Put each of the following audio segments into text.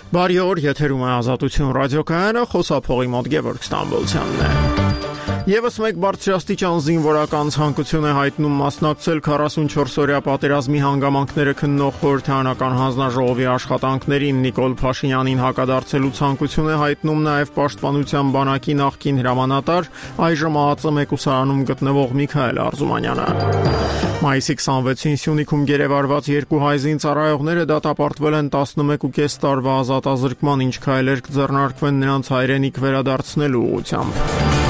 Բարի օր, եթերում է Ազատություն ռադիոկայանը, խոսափողի մոտ Գևորգ Ստամբոլցյանն է։ Եվս մեկ բարձրաստիճան զինվորական ցանկություն է հայտնում մասնակցել 44-օրյա պատերազմի հանգամանքները քննող խորհրդարանական հանձնաժողովի աշխատանքներին։ Նիկոլ Փաշինյանին հակադարձելու ցանկություն է հայտնում նաև Պաշտպանության բանակի նախկին հրամանատար, այժմ ԱԱԾ մեկուսարանում գտնվող Միքայել Արզումանյանը։ Մայիսի 26-ին Սյունիքում գերեվարված երկու հայ զինծառայողները դատապարտվել են 11.5 տարվա ազատազրկման, ինչ քայլեր կձեռնարկվեն նրանց հայրենիք վերադարձնելու ուղղությամբ։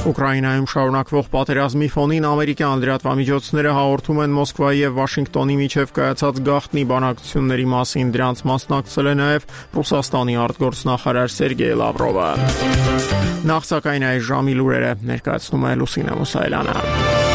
Ուկրաինայում շարունակվող պատերազմի ֆոնին ամերիկյան լրատվամիջոցները հաղորդում են Մոսկվայի եւ Վաշինգտոնի միջև կայացած գաղտնի բանակցությունների մասին։ Դրանց մասնակցել է նաև Ռուսաստանի արտգործնախարար Սերգեյ Լավրովը։ Նախ սակայն այս ժամի լուրերը ներկայացնում է Լուսինե Մուսայելյանը։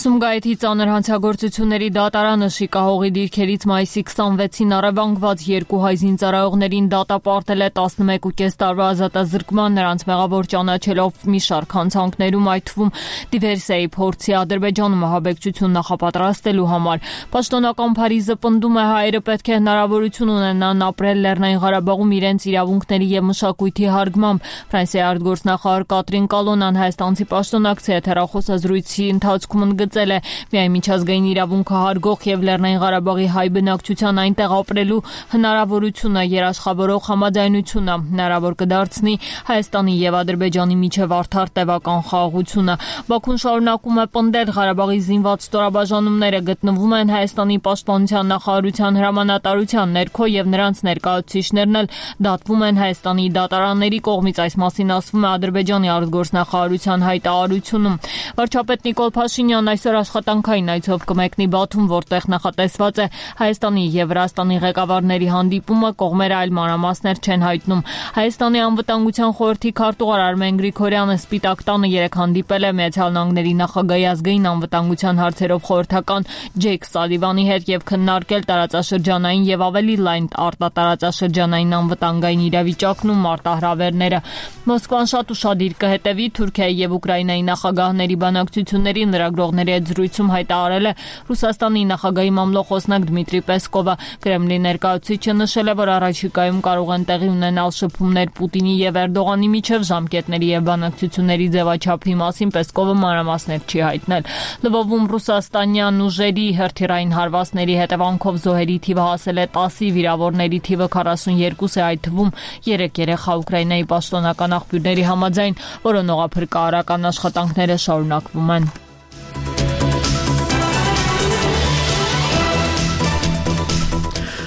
Սումգայիթի ծանր հանցագործությունների դատարանը շիկահողի դիրքերից մայիսի 26-ին առևանգված երկու հայ զինծառայողներին դատապարտել է 11.5 տարվա ազատազրկման, նրանց մեղավոր ճանաչելով մի շարք հանցանքներում, այդ թվում դիվերսիայի փորձի, Ադրբեջանում ահաբեկչություն նախապատրաստելու համար։ Պաշտոնական Փարիզը պնդում է, հայերը պետք է հնարավորություն ունենան ապրել Լեռնային Ղարաբաղում իրենց իրավունքների եւ մշակույթի հարգմամբ։ Ֆրանսիայի արտգործնախարար Կատրին Կալոնան հայաստանցի պաշտոնակցի հեռախոսազրույցի ընթացքում ընդգծել է միայն միջազգային իրավունքը հարգող եւ Լեռնային Ղարաբաղի հայ բնակչության այնտեղ ապրելու հնարավորությունը երաշխավորող համաձայնությունը հնարավոր կդարձնի Հայաստանի եւ Ադրբեջանի միջև արդար տևական խաղաղությունը։ Բաքուն շարունակում է պնդել, Ղարաբաղի զինված ստորաբաժանումները գտնվում են Հայաստանի պաշտպանության նախարարության հրամանատարության ներքո եւ նրանց ներկայացուցիչներն էլ դատվում են Հայաստանի դատարանների կողմից, այս մասին ասվում է Ադրբեջանի արտգործնախարարության հայտարարությունում։ Վարչապետ Նիկոլ Փաշինյանն այսօր աշխատանքային այցով կմեկնի Բաթում, որտեղ նախատեսված է Հայաստանի եւ Վրաստանի ղեկավարների հանդիպումը, կողմերը այլ մանրամասներ չեն հայտնում։ Հայաստանի անվտանգության խորհրդի քարտուղար Արմեն Գրիգորյանը Սպիտակ տանը երեկ հանդիպել է Միացյալ Նահանգների նախագահի ազգային անվտանգության հարցերով խորհրդական Ջեյք Սալիվանի հետ եւ քննարկել տարածաշրջանային եւ ավելի լայն արտատարածաշրջանային անվտանգային իրավիճակն ու մարտահրավերները։ Մոսկվան շատ ուշադիր կհետևի Թուրքիայի եւ Ուկրաինայի նախագահների բանակցությունների լրագրողների հետ զրույցում հայտարարել է Ռուսաստանի նախագահի մամլոխոսնակ Դմիտրի Պեսկովը։ Կրեմլի ներկայացուցիչը նշել է, որ առաջիկայում կարող են տեղի ունենալ շփումներ Պուտինի եւ Էրդողանի միջև, ժամկետների եւ բանակցությունների ձևաչափի մասին Պեսկովը մանրամասներ չի հայտնել։ Լվովում ռուսաստանյան ուժերի հրթիռային հարվածների հետևանքով զոհերի թիվը հասել է 10-ի, վիրավորների թիվը 42 է, այդ թվում 3 երեխա։ Ուկրաինայի պաշտոնական աղբյուրների համաձայն որոնողափրկարարական աշխատանքները շարունակվում են։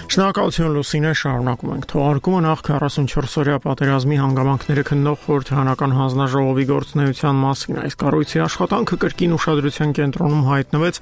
Շնորհակալություն Լուսինե, շարունակում ենք թողարկումը։ Նախ 44-օրյա պատերազմի հանգամանքները քննող խորհրդարանական հանձնաժողովի գործունեության մասին այս կառույցի աշխատանքը կրկին ուշադրության կենտրոնում հայտնվեց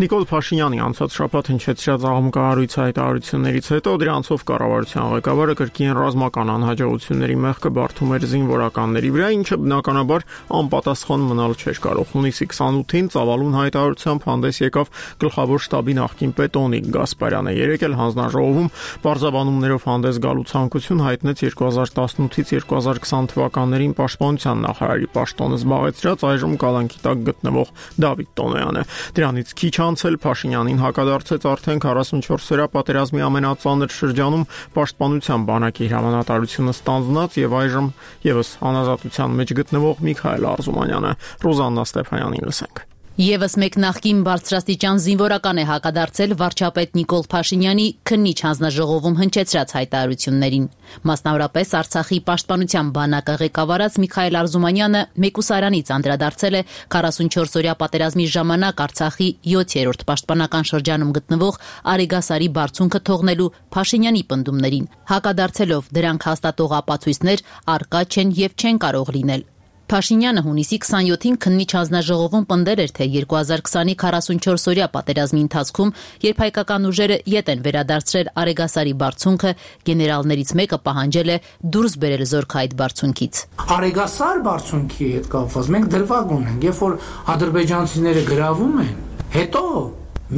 Նիկոլ Փաշինյանի անցած շաբաթ հնչեցրած աղմկահարույց հայտարարություններից հետո։ Դրանցով կառավարության ղեկավարը կրկին ռազմական անհաջողությունների մեղքը բարթում էր զինվորականների վրա, ինչը բնականաբար անպատասխան մնալ չէր կարող։ Հունիսի 28-ին ծավալուն հայտարարությամբ հանդես եկավ գլխավոր շտաբի նախկին պետ Օնիկ Գասպարյանը։ Երեկ էլ հանձնաժողովում բարձաբանումներով հանդես գալու ցանկություն հայտնեց 2018-ից 2020 թվականներին պաշտպանության նախարարի պաշտոնը զբաղեցրած այժմ կալանքի տակ գտնվող Դավիթ Տոնոյանը։ Դրանից քիչ անց էլ Փաշինյանին հակադարձեց արդեն 44-օրյա պատերազմի ամենածանր շրջանում պաշտպանության բանակի հրամանատարությունը ստանձնած եւ այժմ եւս անազատության մեջ գտնվող Միքայել Արզումանյանը։ Ռոզաննա Ստեփանյանին լսենք։ Եվս մեկ նախկին բարձրաստիճան զինվորական է հակադարձել վարչապետ Նիկոլ Փաշինյանի քննիչ հանձնաժողովում հնչեցրած հայտարարություններին։ Մասնավորապես Արցախի պաշտպանության բանակը ղեկավարած Միքայել Արզումանյանը մեկուսարանից անդրադարձել է 44-օրյա պատերազմի ժամանակ Արցախի 7-րդ պաշտպանական շրջանում գտնվող Արեգասարի բարձունքը թողնելու Փաշինյանի պնդումներին, հակադարձելով դրանք հաստատող ապացույցներ առկա չեն եւ չեն կարող լինել։ Փաշինյանը հունիսի 27-ին քննիչ հանձնաժողովում պնդել էր, թե 2020-ի 44-օրյա պատերազմի ընթացքում, երբ հայկական ուժերը ետ են վերադարձրել Արեգասարի բարձունքը, գեներալներից մեկը պահանջել է դուրս բերել զորքը այդ բարձունքից։ Արեգասար բարձունքի հետ կապված մենք դրվագ ունենք, երբ որ ադրբեջանցիները գրավում են, հետո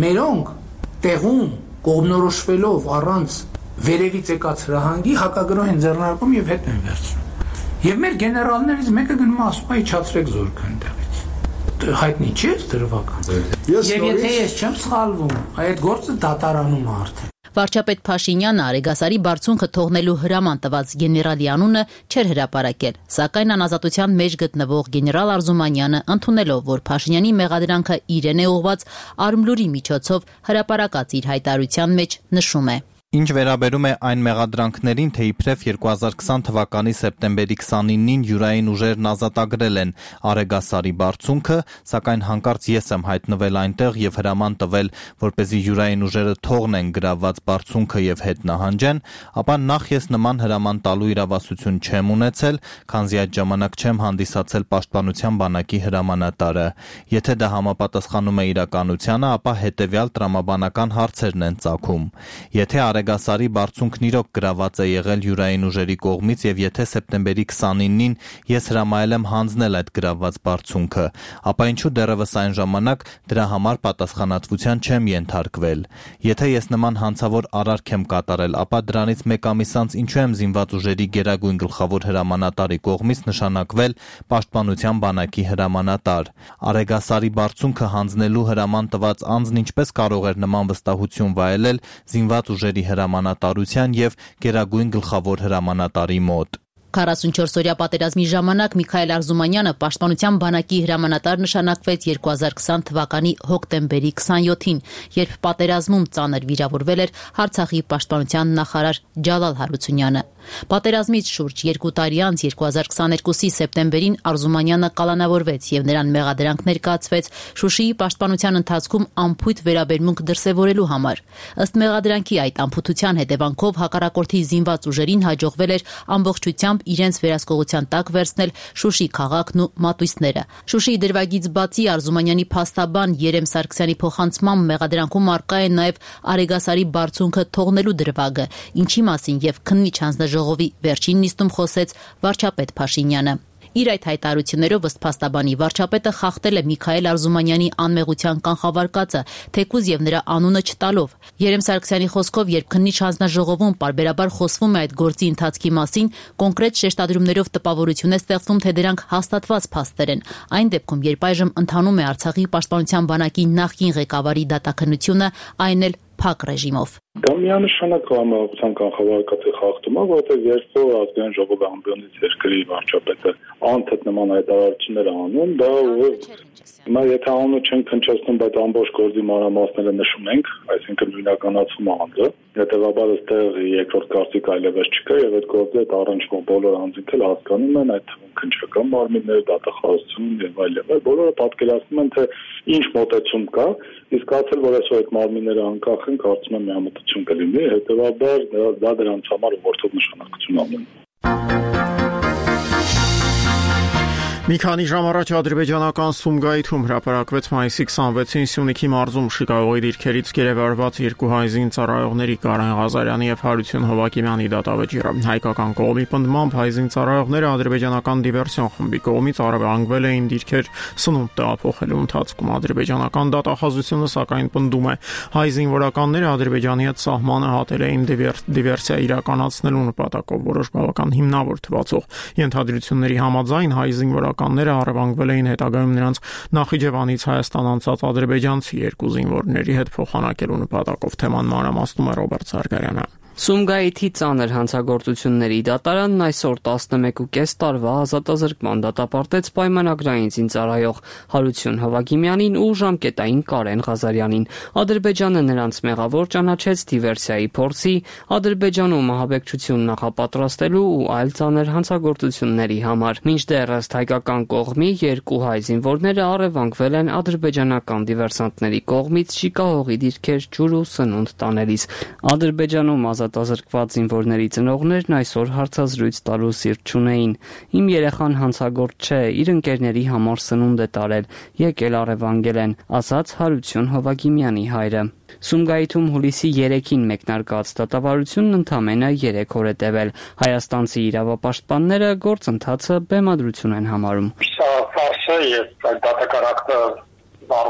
մերոնք տեղում կողմնորոշվելով առանց վերևից եկած հրահանգի հակագրոհ են ձեռնարկում եւ հետ են վերցնում։ Եվ մեր գեներալներից մեկը գնում ասում է իջացրեք զորքը այնտեղից։ Հայտնի չէ՞ դրվական։ Եվ եթե ես չեմ սխալվում, այդ գործը դատարանում է արդեն։ Վարչապետ Փաշինյանը Արեգասարի բարձունքը թողնելու հրաման տված գեներալի անունը չէր հրապարակել, սակայն անազատության մեջ գտնվող գեներալ Արզումանյանը ընդունելով, որ Փաշինյանի մեղադրանքը իրեն է ուղղված, Արմլուրի միջոցով հրապարակած իր հայտարարության մեջ նշում է. Ինչ վերաբերում է այն մեղադրանքներին, թե իբրև 2020 թվականի սեպտեմբերի 29-ին յուրային ուժերն ազատագրել են Արեգասարի բարձունքը, սակայն հանկարծ ես եմ հայտնվել այնտեղ եւ հրաման տվել, որպեսզի յուրային ուժերը թողնեն գրավված բարձունքը եւ հետ նահանջեն, ապա նախ ես նման հրաման տալու իրավասություն չեմ ունեցել, քանզի այդ ժամանակ չեմ հանդիսացել Պաշտպանության բանակի հրամանատարը։ Եթե դա համապատասխանում է իրականությանը, ապա հետեւյալ տրամաբանական հարցերն են ծագում։ Եթե Արեգասարի բարձունքն իրոք գրաված է եղել յուրային ուժերի կողմից եւ եթե սեպտեմբերի 29-ին ես հրամայել եմ հանձնել այդ գրաված բարձունքը, ապա ինչու դեռևս այն ժամանակ դրա համար պատասխանատվության չեմ ենթարկվել։ Եթե ես նման հանցավոր արարք եմ կատարել, ապա դրանից մեկ ամիս անց ինչու եմ զինված ուժերի գերագույն գլխավոր հրամանատարի կողմից նշանակվել Պաշտպանության բանակի հրամանատար։ Արեգասարի բարձունքը հանձնելու հրաման տված անձն ինչպես կարող էր նման վստահություն վայելել զինված ուժերի հրամանատարության եւ գերագույն գլխավոր հրամանատարի մոտ։ 44-օրյա պատերազմի ժամանակ Միքայել Արզումանյանը Պաշտպանության բանակի հրամանատար նշանակվեց 2020 թվականի հոկտեմբերի 27-ին, երբ պատերազմում ծանր վիրավորվել էր Արցախի պաշտպանության նախարար Ջալալ Հարությունյանը։ Պատերազմից շուրջ 2 տարի անց 2022-ի սեպտեմբերին Արզումանյանը կալանավորվեց եւ նրան մեղադրանք ներկայացվեց Շուշիի պաշտպանության ընթացքում անփույթ վերաբերմունք դրսեւորելու համար։ Ըստ մեղադրանքի այդ անփութության հետևանքով հակառակորդի զինված ուժերին հաջողվել էր ամբողջությամբ իրենց վերահսկողության տակ վերցնել Շուշի քաղաքն ու մատույցները։ Շուշիի դրվագից բացի Արզումանյանի փաստաբան Երեմ Սարգսյանի փոխանցմամբ մեղադրանքում առկա է նաև Արեգասարի բարձունքը թողնելու դրվագը, ինչի մասին եւ քննիչ հանձնաժողովի վերջին նիստում խոսեց վարչապետ Փաշինյանը։ Իր այդ հայտարարություններով ըստ փաստաբանի վարչապետը խախտել է Միքայել Արզումանյանի անմեղության կանխավարկածը, թեկուզ եւ նրա անունը չտալով։ Երեմ Սարգսյանի խոսքով, երբ քննիչ հանձնաժողովում պարբերաբար խոսվում է այդ գործի ընթացքի մասին, կոնկրետ շեշտադրումներով տպավորություն է ստեղծվում, թե դրանք հաստատված փաստեր են։ Այն դեպքում, երբ այժմ ընթանում է Արցախի պաշտպանության բանակի նախկին ղեկավարի դատաքննությունը, այն էլ փակ ռեժիմով։ Դա միանշանակ համախոսական կանխավարկածի խախտում է, որովհետև երբ որ ազգային ժողովի ամբիոնից երկրի վարչապետը անթեթ նման հայտարարություններ անում, դա հիմա եթե անունը չենք հնչեցնում, բայց ամբողջ գործի մանրամասները նշում ենք, այսինքն նույնականացում է անձը, հետևաբար այստեղ երկրորդ կարծիք այլևս չկա եւ այդ գործի հետ առնչվող բոլոր անձինք էլ հասկանում են, այդ թվում քննչական մարմիններ, դատախազություն եւ այլն, բոլորը պատկերացնում են, թե ինչ մոտեցում կա, իսկ ասել, որ այսօր այդ մարմինները անկախ են, կարծում եմ միամտություն կլինի, հետևաբար դա դրանց համար ուղղորդող նշանակություն ունի։ Մի քանի ժամ առաջ ադրբեջանական Սումգայիթում հրապարակվեց մայիսի 26-ին Սյունիքի մարզում շիկահողի դիրքերից գերեվարված երկու հայ զինծառայողների Կարեն Ղազարյանի եւ Հարություն Հովակիմյանի դատավճիռը։ Հայկական կողմի պնդմամբ հայ զինծառայողները ադրբեջանական դիվերսիոն խմբի կողմից առևանգվել էին դիրքեր սնունդ տեղափոխելու ընթացքում։ Ադրբեջանական դատախազությունը սակայն պնդում է, հայ զինվորականները Ադրբեջանի հետ սահմանը հատել էին դիվերսիա իրականացնելու նպատակով որոշ բավական հիմնավոր թվացող ենթադրությունների համաձայն հայ զինվորականները առևանգվել էին հետագայում նրանց Նախիջևանից Հայաստան անցած ադրբեջանցի երկու զինվորների հետ փոխանակելու նպատակով։ Թեման մանրամասնում է Ռոբերտ Սարգարյանը։ Սումգայիթի ծանր հանցագործությունների դատարանն այսօր 11.5 տարվա ազատազրկման դատապարտեց պայմանագրային զինծառայող Հարություն Հովակիմյանին ու ժամկետային Կարեն Ղազարյանին։ Ադրբեջանը նրանց մեղավոր ճանաչեց դիվերսիայի փորձի, Ադրբեջանում ահաբեկչություն նախապատրաստելու ու այլ ծանր հանցագործությունների համար։ Մինչդեռ ըստ հայկական կողմի երկու հայ զինվորները առևանգվել են ադրբեջանական դիվերսանտների կողմից շիկահողի դիրքեր ջուր ու սնունդ տանելիս։ Ադրբեջանում ազատազրկված զինվորների ծնողներն այսօր հարցազրույց տալու սիրտ չունեին։ Իմ երեխան հանցագործ չէ, իր ընկերների համար սնունդ է տարել, եկել առևանգել են, ասաց Հարություն Հովակիմյանի հայրը։ Սումգայիթում հուլիսի 3-ին մեկնարկած դատավարությունն ընդամենը 3 օր է տևել։ Հայաստանցի իրավապաշտպանները գործընթացը բեմադրություն են համարում։ Սա ֆարս է եւ դատական ակտը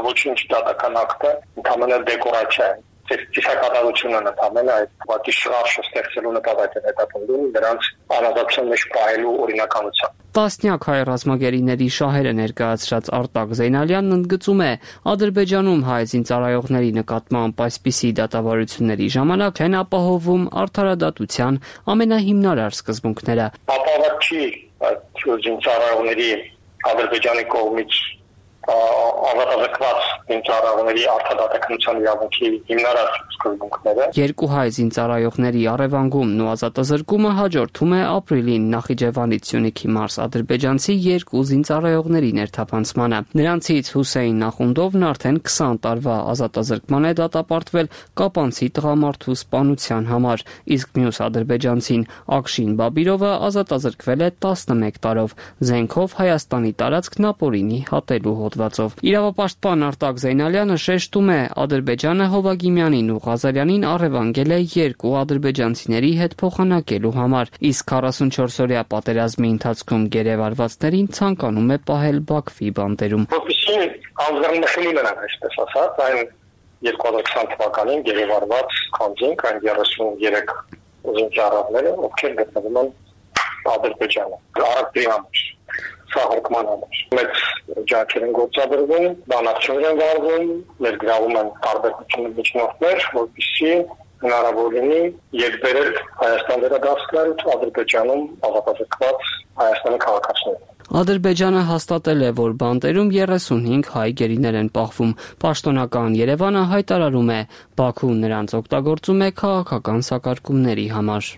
ոչ ինչ դատական ակտ է, ընդամենը դեկորացիա է։ Ծիսակատարությունը նկատմեն այդ պատի շարժը ստեղծելու նպատակն է հետապնդում նրանց անազատության մեջ պահելու օրինականությամբ։ Տասնյակ հայ ռազմագերիների շահերը ներկայացրած Արտակ Զեյնալյանն ընդգծում է, Ադրբեջանում հայ զինծառայողների նկատմամբ այսպիսի դատավարությունների ժամանակ են ապահովում արդարադատության ամենահիմնարար սկզբունքները։ Ապահով չի այդ զինծառայողների Ադրբեջանի կողմից ավարտակված զինծառայողների արդարադատության իրավունքի հիմնարար սկզբունքները։ Երկու հայ զինծառայողների առևանգումն ու ազատազրկումը հաջորդում է ապրիլին Նախիջևանից Սյունիքի Մարս ադրբեջանցի երկու զինծառայողների ներթափանցմանը։ Նրանցից Հուսեյն Նախունդովն արդեն 20 տարվա ազատազրկման է դատապարտվել կապանցի տղամարդու սպանության համար, իսկ մյուս ադրբեջանցին Ակշին Բաբիրովը ազատազրկվել է 11 տարով զենքով Հայաստանի տարածքն ապօրինի հատելու հոդվածով։ Իրավապաշտպան Արտակ Զեյնալյանը շեշտում է, Ադրբեջանը Հովագիմյանին ու Ղազարյանին առևանգել է երկու ադրբեջանցիների հետ փոխանակելու համար, իսկ 44-օրյա պատերազմի ընթացքում գերեվարվածներին ցանկանում է պահել Բաքվի բանտերում։ Որպեսզի անձնանշանի մնան, այսպես ասած, այն 2020 թվականին գերեվարված քանձինք, այն 33 զինծառայողները, ովքեր գտնվում են Ադրբեջանում։ Արաբի համար սահարկման համար։ Մեծ ջանքեր են գործադրվում, բանակցություններ են վարվում, ներգրավում են տարբեր միջնորդներ, որպեսզի հնարավոր լինի եկբերել Հայաստան վերադարձնել Ադրբեջանում ազատազրկված Հայաստանի քաղաքացիներին։ Ադրբեջանը հաստատել է, որ բանտերում 35 հայ գերիներ են պահվում։ Պաշտոնական Երևանը հայտարարում է, Բաքուն նրանց օգտագործում է քաղաքական սակարկումների համար։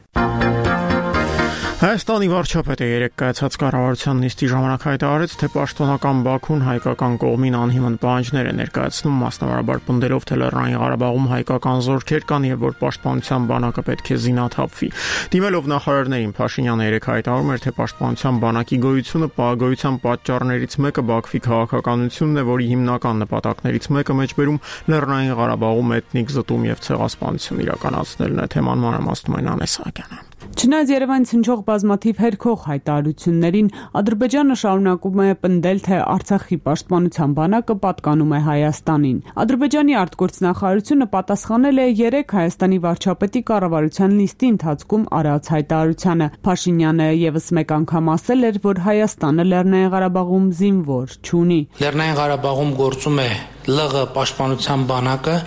Հայաստանի վարչապետը երեկ կայացած կառավարության նիստի ժամանակ հայտարարեց, թե պաշտոնական Բաքուն հայկական կողմին անհիմն պահանջներ է ներկայացնում, մասնավորաբար պնդելով, թե Լեռնային Ղարաբաղում հայկական զորքեր կան եւ որ պաշտպանության բանակը պետք է զինաթափվի։ Դիմելով նախարարներին Փաշինյանը երեկ հայտարարում էր, թե պաշտպանության բանակի գոյությունը պահագոյության պատճառներից մեկը Բաքվի քաղաքականությունն է, որի հիմնական նպատակներից մեկը մեջբերում Լեռնային Ղարաբաղում էթնիկ զտում եւ ցեղասպանություն իրականացնելն է։ Թեման մանրամասնում են Անես Սահակյանը։ Չնայած Երևանից հնչող բազմաթիվ հերքող հայտարարություններին, Ադրբեջանը շարունակում է պնդել, թե Արցախի պաշտպանության բանակը պատկանում է Հայաստանին։ Ադրբեջանի արտգործնախարարությունը պատասխանել է 3 Հայաստանի վարչապետի կառավարության նիստի ընթացքում արած հայտարարությանը։ Փաշինյանը եւս մեկ անգամ ասել էր, որ Հայաստանը Լեռնային Ղարաբաղում զինվոր չունի։ Լեռնային Ղարաբաղում գործում է ԼՂ պաշտպանության բանակը,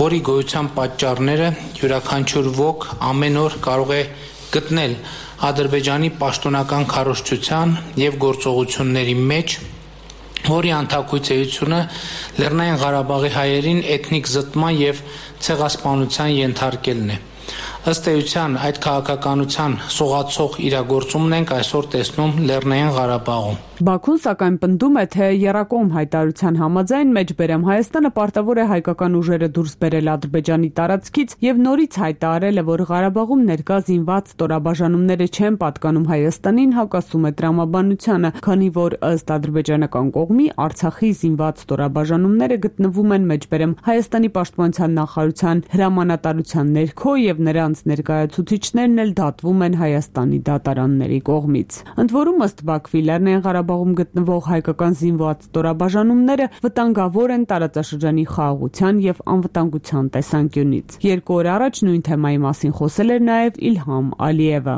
որի գոյության պատճառները յուրաքանչյուր ոք ամեն օր կարող է գտնել Ադրբեջանի պաշտոնական քարոզչության եւ գործողությունների մեջ, որի անթակույց էությունը Լեռնային Ղարաբաղի հայերին էթնիկ զտման եւ ցեղասպանության ենթարկելն է։ Ըստ էության այդ քաղաքականության սողացող իրագործումն ենք այսօր տեսնում Լեռնային Ղարաբաղում։ Բաքուն սակայն պնդում է, թե եռակողմ հայտարարության համաձայն մեջբերեմ Հայաստանը պարտավոր է հայկական ուժերը դուրս բերել Ադրբեջանի տարածքից եւ նորից հայտարարել է, որ Ղարաբաղում ներկա զինված ստորաբաժանումները չեն պատկանում Հայաստանին, հակասում է տրամաբանությանը, քանի որ ըստ ադրբեջանական կողմի Արցախի զինված ստորաբաժանումները գտնվում են մեջբերեմ Հայաստանի պաշտպանության նախարարության հրամանատարության ներքո եւ նրանց ներկայացուցիչներն էլ դատվում են Հայաստանի դատարանների կողմից։ Ընդ որում ըստ Բաքվի Լեռնային Ղարաբաղում գտնվող հայկական զինված ստորաբաժանումները վտանգավոր են տարածաշրջանի խաղաղության եւ անվտանգության տեսանկյունից։ 2 օր առաջ նույն թեմայի մասին խոսել էր նաեւ Իլհամ Ալիևը։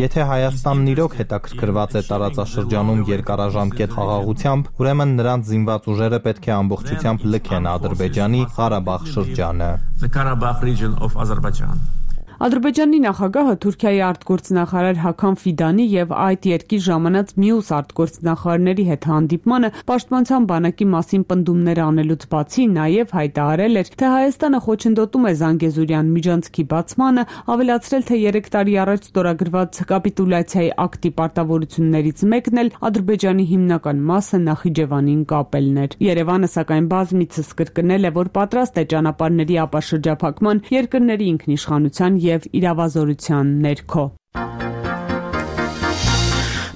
Եթե Հայաստանն իրոք հետաքրքրված է տարածաշրջանում երկարաժամկետ խաղաղությամբ, ուրեմն նրանց զինված ուժերը պետք է ամբողջությամբ լքեն Ադրբեջանի Ղարաբաղ շրջանը։ Ադրբեջանի նախագահը Թուրքիայի արտգործնախարար Հական Ֆիդանի եւ այդ երկրի ժամանած մյուս արտգործնախարարների հետ հանդիպմանը պաշտպանության բանակի մասին պնդումներ անելուց բացի նաեւ հայտարարել էր, թե Հայաստանը խոչընդոտում է Զանգեզուրյան միջանցքի բացմանը, ավելացրել, թե 3 տարի առաջ ստորագրված կապիտուլյացիայի ակտի պարտավորություններից մեկն էլ Ադրբեջանի հիմնական մասը Նախիջևանին կապելն էր։ Երևանը սակայն բազմիցս կրկնել է, որ պատրաստ է ճանապարհների ապաշրջափակման, երկրների ինքնիշխանության եւ իրավազորության ներքո։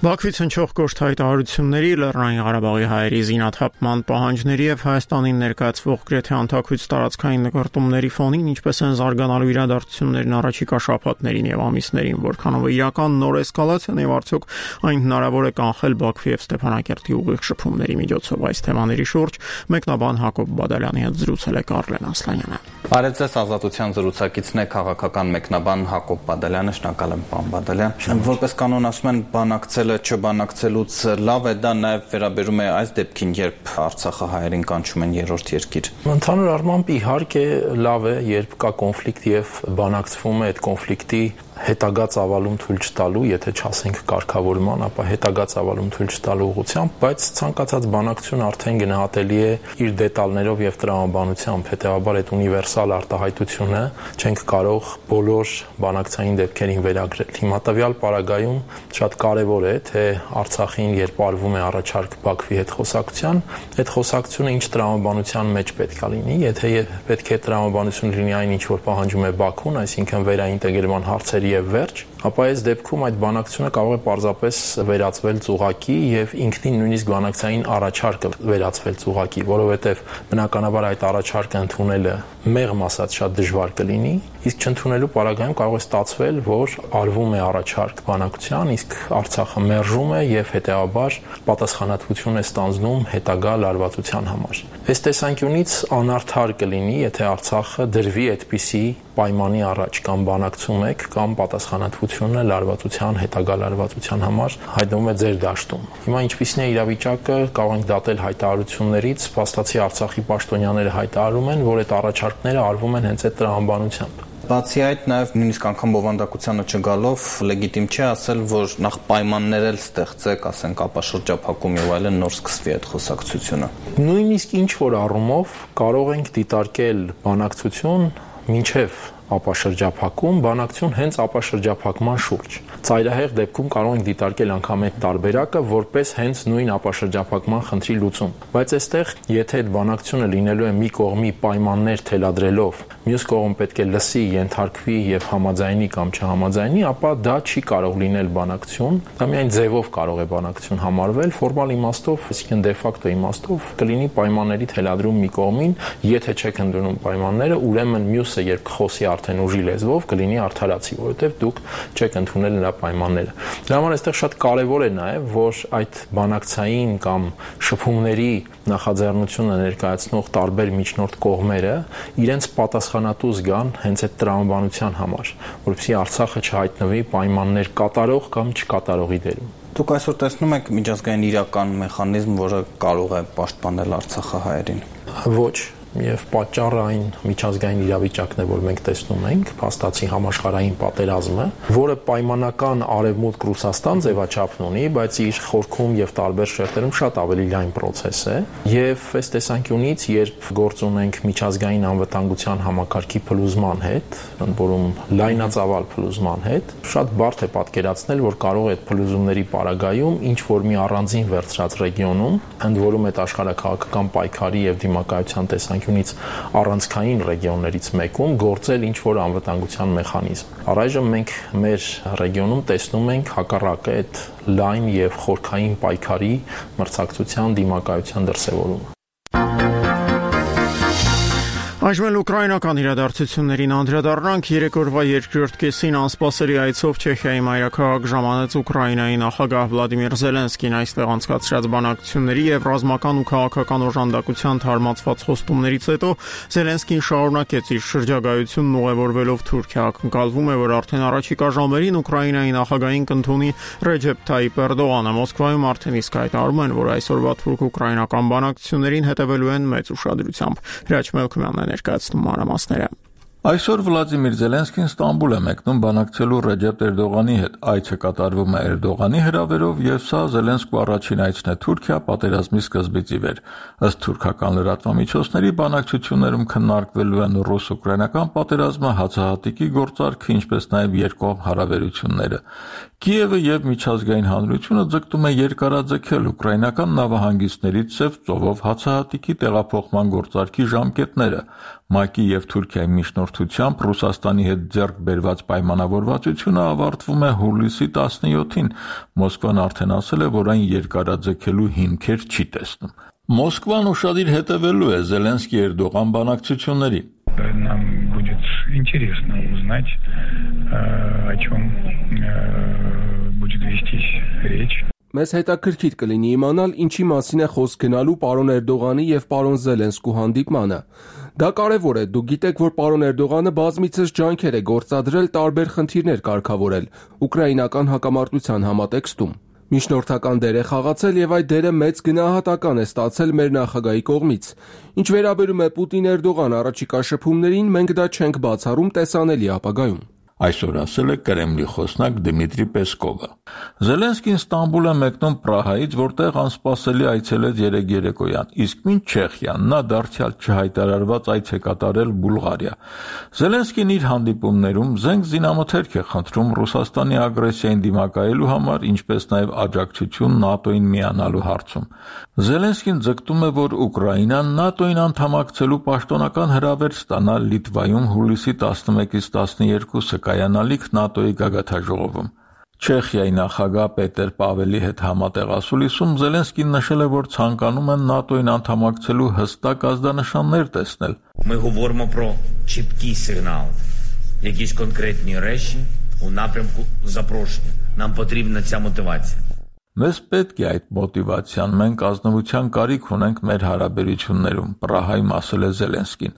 Բաքվից հնչող կոշտ հայտարարությունների, Լեռնային Ղարաբաղի հայերի զինաթափման պահանջների եւ Հայաստանին ներկայացվող գրեթե անթաքույց տարածքային նկարտումների ֆոնին ինչպես են զարգանալու իրադարձություններն առաջիկա շաբաթներին եւ ամիսներին, որքանով իրական նոր էսկալացիան եւ արդյոք այն հնարավոր է կանխել Բաքվի եւ Ստեփանակերտի ուղիղ շփումների միջոցով այս թեմաների շուրջ մեկնաբան Հակոբ Բադալյանի հետ զրուցել է Կարլեն Ասլանյանը։ Բարև ձեզ, Ազատության զրուցակիցն է քաղաքական մեկնաբան Հակոբ Բադալյանը, շնորհակալ եմ, պարոն Բադալյան։ Որպես կանոն ասում են, բանակցելը չբանակցելուց լավ է, դա նաև վերաբերում է այս դեպքին, երբ Արցախը հայերին կանչում են երրորդ երկիր։ Ընդհանուր առմամբ իհարկե լավ է, երբ կա կոնֆլիկտ եւ բանակցվում է այդ կոնֆլիկտի հետագա ծավալում թույլ չտալու, եթե չասենք կարգավորման, ապա հետագա ծավալում թույլ չտալու ուղղությամբ, բայց ցանկացած բանակցություն արդեն գնահատելի է իր դետալներով եւ տրամաբանությամբ, հետեւաբար այդ ունիվերսալ արտահայտությունը չենք կարող բոլոր բանակցային դեպքերին վերագրել։ Հիմա տվյալ պարագայում շատ կարեւոր է, թե Արցախին երբ արվում է առաջարկ Բաքվի հետ խոսակցության, այդ խոսակցությունը ինչ տրամաբանության մեջ պետք է լինի, եթե պետք է տրամաբանություն լինի այն ինչ որ պահանջում է Բաքուն, այսինքն վերաինտեգրման հարցեր եւ վերջ, ապա այս դեպքում այդ բանակցությունը կարող է պարզապես վերածվել ծուղակի եւ ինքնին նույնիսկ բանակցային առաջարկը վերածվել ծուղակի, որովհետեւ բնականաբար այդ առաջարկը ընդունելը մեղմ ասած շատ դժվար կլինի, իսկ չընդունելու պարագայում կարող է ստացվել, որ արվում է առաջարկ բանակցության, իսկ Արցախը մերժում է եւ հետեւաբար պատասխանատվություն է ստանձնում հետագա լարվածության համար։ Այս տեսանկյունից անարդար կլինի, եթե Արցախը դրվի այդպիսի պայմանի առաջ կամ բանակցում եք կամ պատասխանատվությունը լարվածության, հետագա լարվածության համար հայտնվում է ձեր դաշտում։ Հիմա ինչպիսին է իրավիճակը, կարող ենք դատել հայտարարություններից, փաստացի Արցախի պաշտոնյաները հայտարարում են, որ այդ առաջարկները արվում են հենց այդ տրամաբանությամբ։ Բացի այդ, նաև նույնիսկ անգամ բովանդակությանը չգալով լեգիտիմ չէ ասել, որ նախ պայմաններ էլ ստեղծեք, ասենք ապաշրջափակում եւ այլն, նոր սկսվի այդ խոսակցությունը։ Նույնիսկ ինչ որ առումով կարող ենք դիտարկել բանակցություն մինչև ապաշրջափակում, բանակցություն հենց ապաշրջափակման շուրջ։ Ծայրահեղ դեպքում կարող ենք դիտարկել անգամ այդ տարբերակը որպես հենց նույն ապաշրջափակման խնդրի լուծում։ Բայց այստեղ, եթե այդ բանակցությունը լինելու է մի կողմի պայմաններ թելադրելով, մյուս կողմը պետք է լսի, ենթարկվի եւ համաձայնի կամ չհամաձայնի, ապա դա չի կարող լինել բանակցություն, դա միայն ձևով կարող է բանակցություն համարվել, ֆորմալ իմաստով, այսինքն դե ֆակտո իմաստով կլինի պայմանների թելադրում մի կողմին, եթե չեք ընդունում պայմանները, ուրեմն մյուսը երբ խոսի արդեն ուժի լեզվով կլինի արդարացի, որովհետև դուք չեք ընդունել նրա պայմանները։ Դրա համար այստեղ շատ կարևոր է նաև, որ այդ բանակցային կամ շփումների նախաձեռնությունը ներկայացնող տարբեր միջնորդ կողմերը իրենց պատասխանատու զգան հենց այդ տրամաբանության համար, որովհետեւ Արցախը չհայտնվի պայմաններ կատարող կամ չկատարողի դերում։ Դուք այսօր տեսնում եք միջազգային իրական մեխանիզմ, որը կարող է պաշտպանել Արցախը հայերին։ Ոչ, եւ պատճառը այն միջազգային իրավիճակն է, որ մենք տեսնում ենք, փաստացի համաշխարհային պատերազմը, որը պայմանական արևմուտք Ռուսաստան ձևաչափն ունի, բայց իր խորքում եւ տարբեր շերտերում շատ ավելի լայն process է, եւ այս տեսանկյունից, երբ գործ ունենք միջազգային անվտանգության համակարգի փլուզման հետ, ընդ որում լայնածավալ փլուզման հետ, շատ բարդ է պատկերացնել, որ կարող է այդ փլուզումների պարագայում ինչ որ մի առանձին վերցրած ռեգիոնում, ընդ որում այդ աշխարհաքաղաքական պայքարի եւ դիմակայության տեսանկյունից առանցքային ռեգիոններից մեկում գործել ինչ որ անվտանգության մեխանիզմ։ Առայժմ մենք մեր ռեգիոնում տեսնում ենք հակառակը այդ լայն եւ խորքային պայքարի մրցակցության դիմակայության դրսևորումը։ Այժմ էլ ուկրաինական իրադարձություններին անդրադառնանք։ Երեք օրվա երկրորդ կեսին անսպասելի այցով Չեխիայի մայրաքաղաք ժամանեց Ուկրաինայի նախագահ Վլադիմիր Զելենսկին։ Այստեղ անցկացրած բանակցությունների եւ ռազմական ու քաղաքական օժանդակության թարմացված խոստումներից հետո Զելենսկին շարունակեց իր շրջագայությունն ուղևորվելով Թուրքիա։ Ակնկալվում է, որ արդեն առաջիկա ժամերին Ուկրաինայի նախագահին կընդունի Ռեջեփ Թայիպ Էրդողանը։ Մոսկվայում արդեն իսկ հայտարարում են, որ այսօրվա թուրք-ուկրաինական բանակցություններին հետևելու են մեծ ուշադրությամբ։ Հրաչ Մելքումյանն ներկայացնում մանրամասները։ Այսօր Վլադիմիր Զելենսկին Ստամբուլ է մեկնում բանակցելու Ռեջեփ Էրդողանի հետ։ Այցը կատարվում է Էրդողանի հրավերով եւ սա Զելենսկու առաջին այցն է Թուրքիա պատերազմի սկզբից ի վեր։ Ըստ թուրքական լրատվամիջոցների բանակցություններում քննարկվելու են ռուս-ուկրաինական պատերազմը, հացահատիկի գործարքը, ինչպես նաեւ երկկողմ հարաբերությունները։ Կիևը եւ միջազգային հանրությունը ձգտում է երկարաձգել ուկրաինական նավահանգիստներից Սև ծովով հացահատիկի տեղափոխման գործարքի ժամկետները։ ՄԱԿ-ի եւ Թուրքիայի միջնորդ առնչությամբ Ռուսաստանի հետ ձեռք բերված պայմանավորվածությունը ավարտվում է հուլիսի 17-ին։ Մոսկվան արդեն ասել է, որ այն երկարաձգելու հիմքեր չի տեսնում։ Մոսկվան ուշադիր հետևելու է Զելենսկի-Էրդողան բանակցություններին։ Нам будет интересно узнать, о чем будет вестись речь. Մեզ հետաքրքիր կլինի իմանալ ինչի մասին է խոսք գնալու պարոն Էրդողանի եւ պարոն Զելենսկու հանդիպմանը։ Դա կարևոր է, դուք գիտեք, որ պարոն Էրդողանը բազմիցս ջանքեր է գործադրել տարբեր խնդիրներ կարգավորել ուկրաինական հակամարտության համատեքստում։ Միջնորդական դեր է խաղացել եւ այդ դերը մեծ գնահատական է ստացել մեր նախագահի կողմից։ Ինչ վերաբերում է Պուտին-Էրդողան առաջիկա շփումներին, մենք դա չենք բացառում տեսանելի ապագայում։ Այսօր ասել է Կրեմլի խոսնակ Դմիտրի Պեսկովը։ Զելենսկին Ստամբուլ է մեկնում Պրահայից, որտեղ անսպասելի այցելեց երեկոյան, իսկ մինչ Չեխիան նա դարձյալ չհայտարարված այց է կատարել Բուլղարիա։ Զելենսկին իր հանդիպումներում զենք զինամթերք է խնդրում Ռուսաստանի ագրեսիային դիմակայելու համար, ինչպես նաև աջակցություն ՆԱՏՕ-ին միանալու հարցում։ Զելենսկին ձգտում է, որ Ուկրաինան ՆԱՏՕ-ին անդամակցելու պաշտոնական հրավեր ստանա Լիտվայում հուլիսի 11-ից 12-ը կայանալիք ՆԱՏՕ-ի գագաթնաժողովում։ Չեխիայի նախագահ Պետեր Պավելի հետ համատեղ ասուլիսում Զելենսկին նշել է, որ ցանկանում են ՆԱՏՕ-ին անդամակցելու հստակ ազդանշաններ տեսնել։ Ми говоримо про чіткий сигнал, якісь конкретні речі у напрямку запрошення. Нам потрібна ця мотивація. Մեզ պետք է այդ մոտիվացիան, մենք ազնվության կարիք ունենք մեր հարաբերություններում, Պրահայում ասել է Զելենսկին։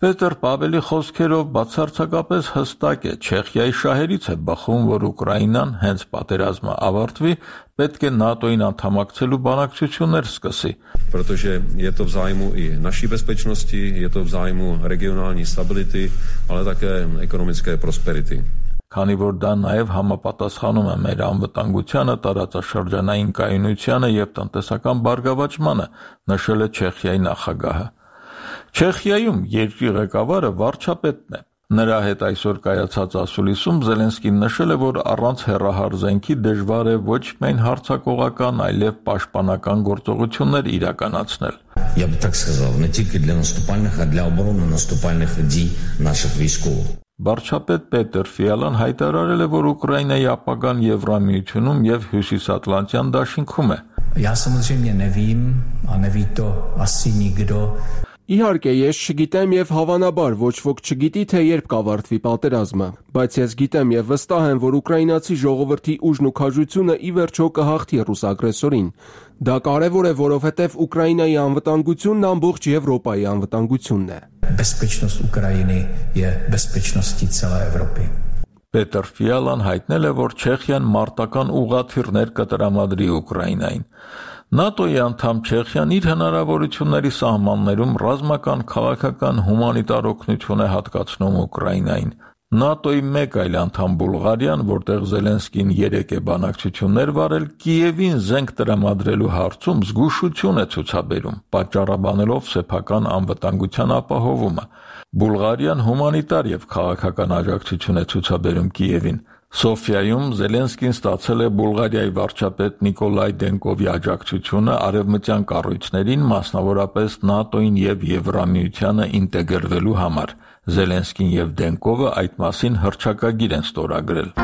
Պետեր Պավելի խոսքերով բացարձակապես հստակ է, Չեխիայի շահերից է բխում, որ Ուկրաինան հենց պատերազմը ավարտվի, պետք է ՆԱՏՕ-ին անդամակցելու բանակցություններ սկսի։ Protože je to v zájmu i naší bezpečnosti, je to v zájmu regionální stability, ale také ekonomické prosperity. Քանի որ դա նաև համապատասխանում է մեր անվտանգությանը, տարածաշրջանային կայունությանը եւ տնտեսական բարգավաճմանը, նշել է Չեխիայի նախագահը։ Չեխիայում երկրի ղեկավարը վարչապետն է։ Նրա հետ այսօր կայացած ասուլիսում Զելենսկին նշել է, որ առանց հեռահար զենքի դժվար է ոչ միայն հարձակողական, այլև պաշտպանական գործողություններ իրականացնել։ Я бы так сказал, не тільки для наступальних, а для оборони наступальних дій наших військових. Վարչապետ Պետեր Ֆիալան հայտարարել է, որ Ուկրաինայի ապագան Եվրամիությունում եւ Հյուսիսատլանտյան դաշինքում է։ Я samozřejmě nevím a neví to asi nikdo. Իհարկե, ես չգիտեմ եւ հավանաբար ոչ ոք չգիտի, թե երբ կավարտվի պատերազմը, բայց ես գիտեմ եւ վստահ եմ, որ ուկրաինացի ժողովրդի ուժն ու քաջությունը ի վերջո կհաղթի ռուս ագրեսորին։ Դա կարևոր է, որովհետեւ Ուկրաինայի անվտանգությունն ամբողջ Եվրոպայի անվտանգությունն է։ Bezpečnost Ukrajiny je bezpečností celé Evropy. Պետեր Ֆիալան հայտնել է, որ Չեխիան մարտական ուղղաթիռներ կտրամադրի Ուկրաինային։ ՆԱՏՕ-ի անդամ Չեխիան իր հնարավորությունների սահմաններում ռազմական, քաղաքական, հումանիտար օգնություն է հատկացնում Ուկրաինային։ ՆԱՏՕ-ի մեկ այլ անդամ Բուլղարիան, որտեղ Զելենսկին 3 է բանակցություններ վարել, Կիևին զենք տրամադրելու հարցում զգուշություն է ցուցաբերում, պատճառաբանելով սեփական անվտանգության ապահովումը։ Բուլղարիան հումանիտար եւ քաղաքական աջակցություն է ցուցաբերում Կիևին։ Սոֆիայում Զելենսկին ստացել է Բուլղարիայի վարչապետ Նիկոլայ Դենկովի աջակցությունը արևմտյան կառույցներին, մասնավորապես ՆԱՏՕ-ին եւ Եվրամիությանը ինտեգրվելու համար։ Զելենսկին եւ Դենկովը այդ մասին հռչակագիր են ստորագրել։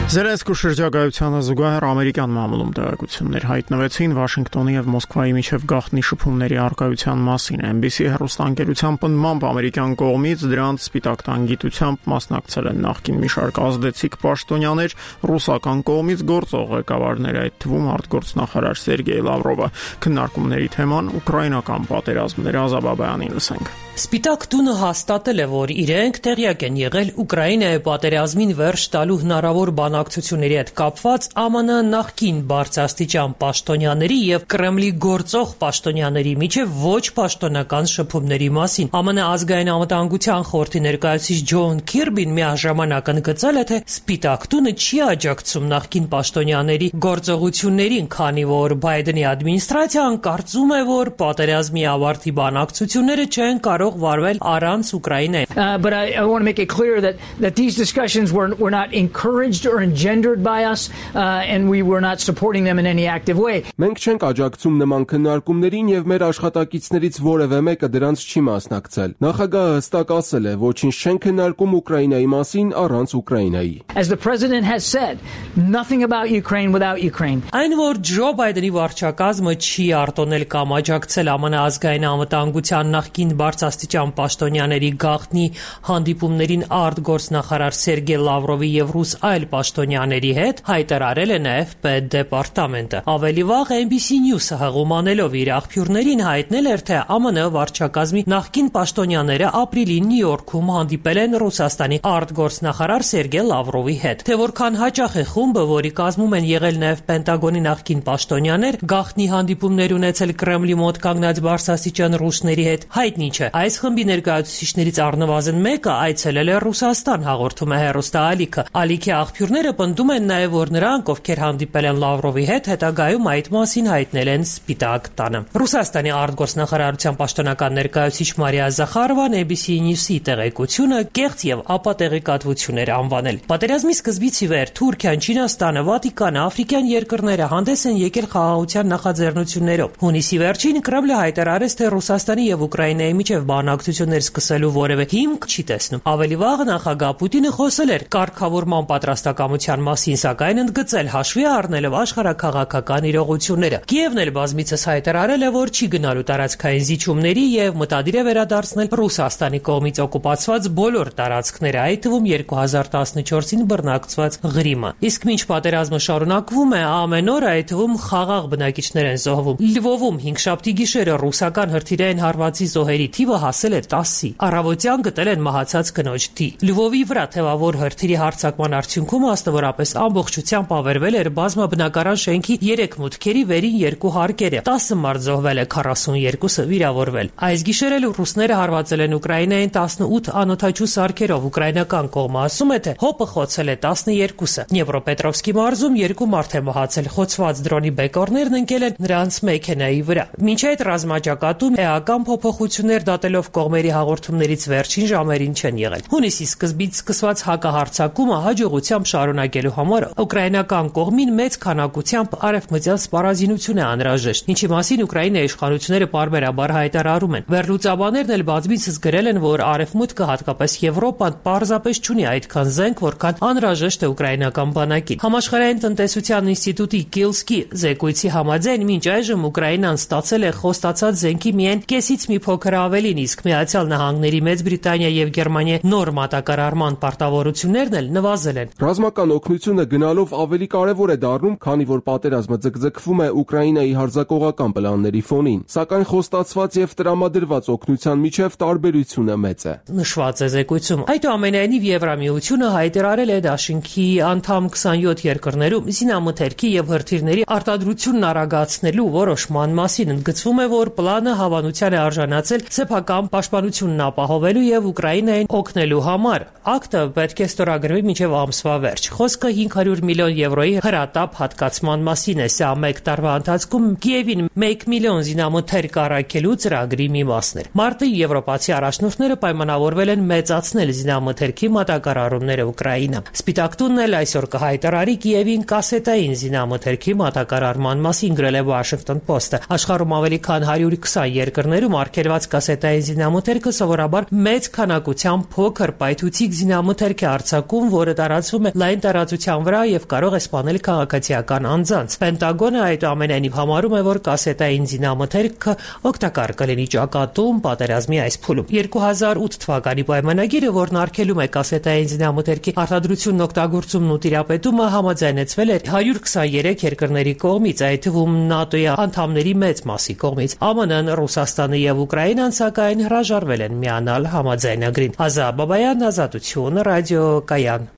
Զելենսկու շրջագայությանը զուգահեռ ամերիկյան մամուլում տեղեկություններ հայտնվեցին Վաշինգտոնի եւ Մոսկվայի միջև գաղտնի շփումների առկայության մասին։ NBC հեռուստաընկերության պնդմամբ ամերիկյան կողմից դրանց սպիտակ տան գիտությամբ մասնակցել են նախկին մի շարք ազդեցիկ պաշտոնյաներ, ռուսական կողմից գործող ղեկավարներ, այդ թվում արտգործնախարար Սերգեյ Լավրովը։ Քննարկումների թեման ուկրաինական պատերազմն էր, Ազաբաբյանին լսենք։ Սպիտակ տունը հաստատել է, որ իրենք տեղյակ են եղել Ուկրաինայի պատերազմին վերջ տալու հնարավոր բանակցությունների հետ կապված ԱՄՆ նախկին բարձրաստիճան պաշտոնյաների եւ Կրեմլի գործող պաշտոնյաների միջև ոչ պաշտոնական շփումների մասին։ ԱՄՆ ազգային անվտանգության խորհրդի ներկայացուցիչ Ջոն Քիրբին միաժամանակ ընդգծել է, թե Սպիտակ տունը չի աջակցում նախկին պաշտոնյաների գործողություններին, քանի որ Բայդենի ադմինիստրացիան կարծում է, որ պատերազմի ավարտի բանակցությունները չեն կարող կարող վարվել առանց Ուկրաինայի։ But I want to make it clear that these discussions were not encouraged or engendered by us and we were not supporting them in any active way. Մենք չենք աջակցում նման քննարկումներին եւ մեր աշխատակիցներից որևէ մեկը դրանց չի մասնակցել։ Նախագահը հստակ ասել է, ոչինչ չեն քննարկում Ուկրաինայի մասին առանց Ուկրաինայի։ As the president has said, nothing about Ukraine without Ukraine. Այն որ Ջո Բայդենի վարչակազմը չի արտոնել կամ աջակցել ԱՄՆ ազգային անվտանգության նախկին բարձրաստիճան պաշտոնյաների գաղտնի հանդիպումներին արտգործնախարար Սերգեյ Լավրովի եւ ռուս այլ պաշտոնյաների հետ հայտարարել է նաեւ պետդեպարտամենտը։ Ավելի վաղ NBC News-ը հղումանելով իր աղբյուրներին հայտնել էր, թե ԱՄՆ վարչակազմի նախկին պաշտոնյաները ապրիլին Նյու Յորքում հանդիպել են Ռուսաստանի արտգործնախարար Սերգեյ Լավրովի հետ։ Թե որքան հաճախ է խումբը, որի կազմում են եղել նաեւ Պենտագոնի նախկին պաշտոնյաներ, գաղտնի հանդիպումներ ունեցել Կրեմլի մոտ կանգնած բարձրաստիճան ռուսների հետ, հայտնի չէ։ Այս խմբի ներկայացուցիչներից առնվազն մեկը այցելել է Ռուսաստան, հաղորդում է հեռուստաալիքը։ Ալիքի աղբյուրները պնդում են նաեւ, որ նրանք, ովքեր հանդիպել են Լավրովի հետ, հետագայում այդ մասին հայտնել են Սպիտակ տանը։ Ռուսաստանի արտգործնախարարության պաշտոնական ներկայացուցիչ Մարիա Զախարովան ABC News-ի տեղեկությունը կեղծ եւ ապատեղեկատվություն էր անվանել։ Պատերազմի սկզբից ի վեր Թուրքիան, Չինաստանը, Վատիկանը, աֆրիկյան երկրները հանդես են եկել խաղաղության նախաձեռնություններով։ Հունիսի վերջին Կրեմլը հայտարարեց, թե Ռուսաստանի եւ Ուկրաինայի միջև բանակցություններ սկսելու որևէ հիմք չի տեսնում։ Ավելի վաղ նախագահ Պուտինը խոսել էր կարգավորման պատրաստակամության մասին, սակայն ընդգծել հաշվի առնելով աշխարհաքաղաքական իրողությունները։ Կիևն էլ բազմիցս հայտարարել է, որ չի գնալու տարածքային զիջումների եւ մտադիր է վերադարձնել Ռուսաստանի կողմից օկուպացված բոլոր տարածքները, այդ թվում 2014-ին բռնակցված Ղրիմը։ Իսկ մինչ պատերազմը շարունակվում է, ամեն օր այդ թվում խաղաղ բնակիչներ են զոհվում։ Լվովում 5-շաբթի գիշերը ռուսական հրթիռային հարվածի զոհերի թիվը հասել է 10-ի։ Առավոտյան գտել են մահացած կնոջ թիվ։ Լվովի վրա թեւավոր հրթիռի հարձակման արդյունքում աստավորապես ամբողջությամբ ավերվել էր բազմաբնակարան շենքի 3 մուտքերի վերին 2 հարկերը։ 10 մարդ զոհվել է, 42-ը վիրավորվել։ Այս գիշեր էլ ռուսները հարվածել են Ուկրաինային 18 անօթաչու սարքերով։ Ուկրաինական կողմը ասում է, թե հոպը խոցել է 12-ը։ Դնեպրոպետրովսկի մարզում 2 մարդ է մահացել, խոցված դրոնի բեկորներն ընկել են նրանց մեքենայի վրա։ Մինչ այդ ռազմաճակատում էական փոփոխություններ դատելով կողմերի հաղորդումներից վերջին ժամերին չեն եղել։ Հունիսի սկզբից սկսված հակահարձակումը հաջողությամբ շարունակելու համար ուկրաինական կողմին մեծ քանակությամբ արևմտյան սպառազինություն է անհրաժեշտ, ինչի մասին Ուկրաինայի իշխանությունները պարբերաբար հայտարարում են։ Վերլուծաբաններն էլ բազմիցս գրել են, որ արևմուտքը, հատկապես Եվրոպան, պարզապես չունի այդքան զենք, որքան անհրաժեշտ է ուկրաինական բանակին։ Համաշխարհային տնտեսության ինստիտուտի Կիլսկի զեկույցի համաձայն մինչ այժմ Ուկրաինան ստացել է խոստացած զենքի միայն կեսից մի փոքր ավելին, իսկ Միացյալ Նահանգների, Մեծ Բրիտանիա եւ Գերմանիա նոր մատակարարման պարտավորություններն էլ նվազել են։ Ռազմական օգնությունը գնալով ավելի կարևոր է դառնում, քանի որ պատերազմը ձգձգվում է Ուկրաինայի հարձակողական պլանների ֆոնին, սակայն խոստացված եւ տրամադրված օգնության միջև տարբերությունը մեծ է։ Նշված է զեկույցում։ Այդուամենայնիվ Եվրամիությունը հայտարարել է Դաշինքի անդամ 27 երկրներում զինամթերքի եւ հրթիռների արտադրությունն արագացնելու որոշման մասին։ Ընդգծվում է, որ պլանը հավանության է արժանացել սեփական պաշտպանությունն ապահովելու եւ Ուկրաինային օգնելու համար։ Ակտը պետք է ստորագրվի մինչեւ ամսվա վերջ։ Խոսքը 500 միլիոն եվրոյի հրատապ հատկացման մասին է։ Սա մեկ տարվա ընթացքում Կիևին 1 միլիոն զինամթերք առաքելու ծրագրի մի մասն էր։ Մարտի եվրոպացի առաջնորդները պայմանավորվել են մեծացնել զինամթերքի մատակարարումները Ուկրաինա։ Սպիտակ տունն էլ այսօր կհայտարարի Կիևին կասետային զինամթերքի մատակարարման մասին, գրել է Washington Post-ը։ Աշխարհում ավելի քան 120 երկրներում արգելված կասետային զինամթերքը սովորաբար մեծ քանակությամբ փոքր պայթուցիկ զինամթերք է արձակում, որը տարածվում է լայն տարածության վրա եւ կարող է սպանել քաղաքացիական անձանց։ Պենտագոնը այդուամենայնիվ համարում է, որ կասետային զինամթերքը օգտակար կլինի ճակատում պատերազմի այս փուլում։ 2008 թվականի պայմանագիրը, որն արգելում է կասետային զինամթերքի արտադրությունն, օգտագործումն ու տիրապետումը, համաձայնեցվել է 123 երկրների կողմից, այդ թվում ՆԱՏՕ-ի անդամների մեծ մասի կողմից։ ԱՄՆ-ն, Ռուսաստանը եւ Ուկրաինան սակայն հրաժարվել են միանալ համաձայնագրին։ Ազատ Բաբայան, Ազատություն, ռադիոկայան։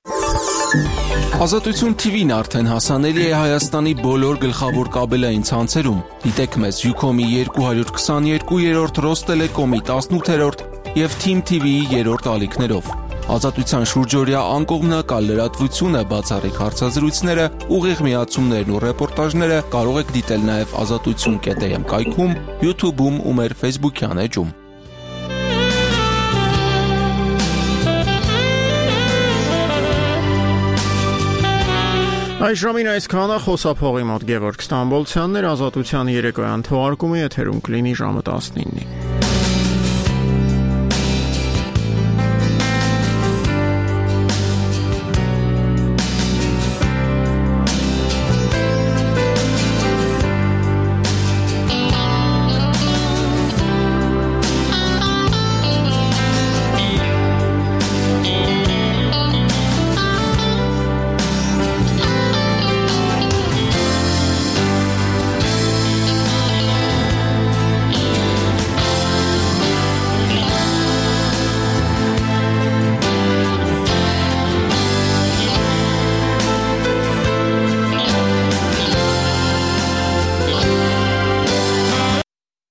Ազատություն TV-ն արդեն հասանելի է Հայաստանի բոլոր գլխավոր կաբելային ցանցերում։ Դիտեք մեզ Ucom-ի 222-րդ, Ռոստելեկոմի 18-րդ եւ Team TV-ի 3-րդ ալիքներով։ Ազատության շուրջօրյա անկողմնակալ լրատվությունը, բացառիկ հարցազրույցները, ուղիղ միացումներն ու ռեպորտաժները կարող եք դիտել նաև azatutsun.am կայքում, YouTube-ում ու մեր Facebook-յան էջում։ Այս ժամին այսքանը խոսափողի մոտ Գևորգ Ստամբոլցյանն էր, Ազատության երեկոյան թողարկումը եթերում կլինի ժամը 19-ին։